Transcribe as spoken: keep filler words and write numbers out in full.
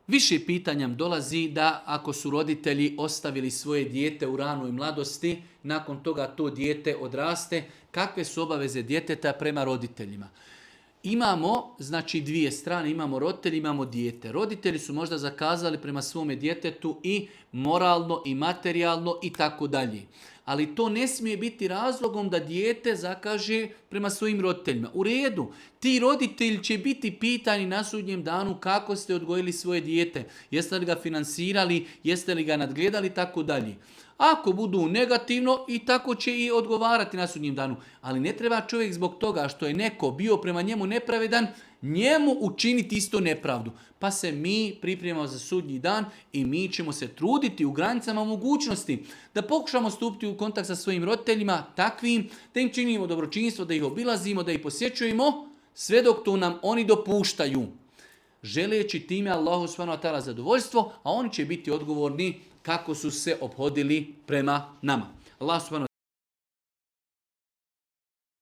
Više pitanja dolazi da ako su roditelji ostavili svoje dijete u ranoj mladosti, nakon toga to dijete odraste, kakve su obaveze djeteta prema roditeljima. Imamo, znači, dvije strane, imamo roditelji, imamo dijete. Roditelji su možda zakazali prema svome djetetu i moralno i materijalno i tako dalje. Ali to ne smije biti razlogom da dijete zakaže prema svojim roditeljima. U redu, ti roditelji će biti pitani na sudnjem danu kako ste odgojili svoje dijete. Jeste li ga finansirali, jeste li ga nadgledali i tako dalje. Ako budu negativno, i tako će i odgovarati na sudnjem danu. Ali ne treba čovjek zbog toga što je neko bio prema njemu nepravedan, njemu učiniti isto nepravdu. Pa se mi pripremamo za sudnji dan i mi ćemo se truditi u granicama mogućnosti da pokušamo stupiti u kontakt sa svojim roditeljima takvim, da im činimo dobročinstvo, da ih obilazimo, da ih posjećujemo, sve dok to nam oni dopuštaju. Želeći time Allahu subhanahu wa ta'ala zadovoljstvo, a oni će biti odgovorni kako su se ophodili prema nama. Allah subhanahu